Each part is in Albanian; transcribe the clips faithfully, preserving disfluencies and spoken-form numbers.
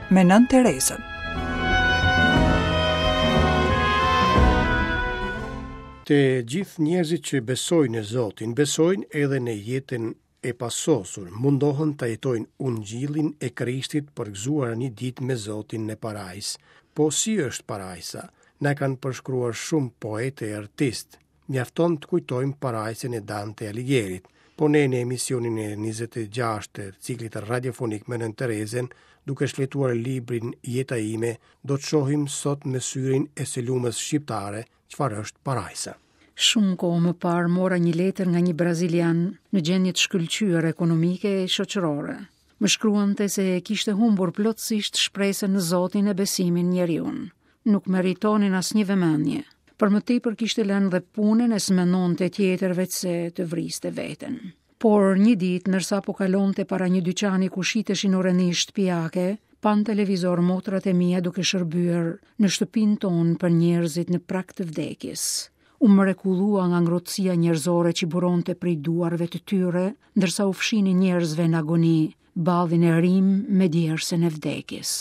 me Nënë Terezën. Të gjithë njerëzit që besojnë në Zotin, besojnë edhe në jetën e pasosur, mundohen ta jetojnë ungjillin e Krishtit për gëzuar një ditë me Zotin në parajsë. Po si është parajsa? Na kanë përshkruar shumë poetë e artistë. Mjafton të kujtojmë parajsën e Dante Alighieri. Po ne në emisionin e njëzet e gjashtë të ciklit radiofonik me Nënë Terezën, duke shfletuar librin Jeta ime, do të shohim sot me syrin e së lumës shqiptare çfarë është parajsa. Shumë kohë më parë mora një letër nga një brazilian në gjendje të shkëlqyer ekonomike e shoqërore. Më shkruante se kishte humbur plotësisht shpresën në Zotin e besimin njeriun. Nuk meritonin asnjë vëmendje. Për më tepër kishte lënë dhe punën e s'mendonte tjetër veçse të vriste veten. Por një ditë, ndërsa po kalonte para një dyqani ku shiteshin oreni shtëpiake, pa në televizor motrat e mia duke shërbyer në shtëpinë tonë për njerëzit në prag të vdekjes. U mrekullua nga ngrohtësia njerëzore që buronte prej duarve të tyre, ndërsa u fshinin njerëzve në agoni, ballin e rim me djersën e vdekjes.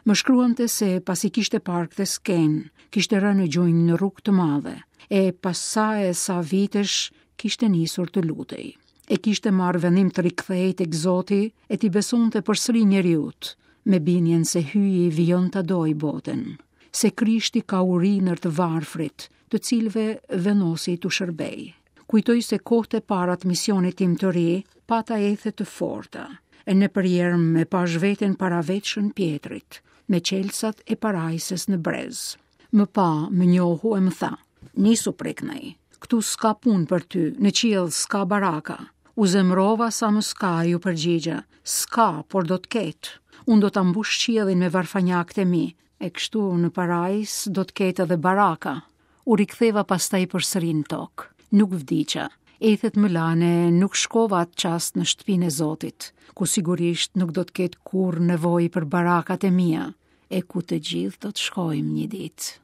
Më shkruante se pasi kishte parë këtë skenë, kishte rënë në gjunjë në rrugë të madhe, e pas sa e sa vitesh kishte nisur të lutej. E kishte marrë vendim të rikthehej tek Zoti e t'i besonte përsëri njeriut, me bindjen se hyji vijon ta dojë botën, se Krishti ka uri nër të varfrit, të cilëve vendosi t'u shërbej. Kujtoj se kohët e para të misionit tim të ri, pata ethe të forta, e në përjerm me pash veten para vetë Shën Pjetrit, me çelësat e parajsës në brez. Më pa, më njohu e më tha, nisu preknej, këtu s'ka punë për ty, në qiell s'ka baraka. U zemrova sa më s'ka, ju përgjigja, s'ka, por do të ketë. Unë do ta mbush qiellin me varfanjakët e mi, e kështu në parajs do të ketë edhe baraka. U riktheva pastaj përsëri në tokë. Nuk vdiqa. Ethet më lane, nuk shkova atë çast në shtëpinë e Zotit, ku sigurisht nuk do të ketë kurrë nevojë për barakat e mia, e ku të gjithë do të shkojmë një ditë.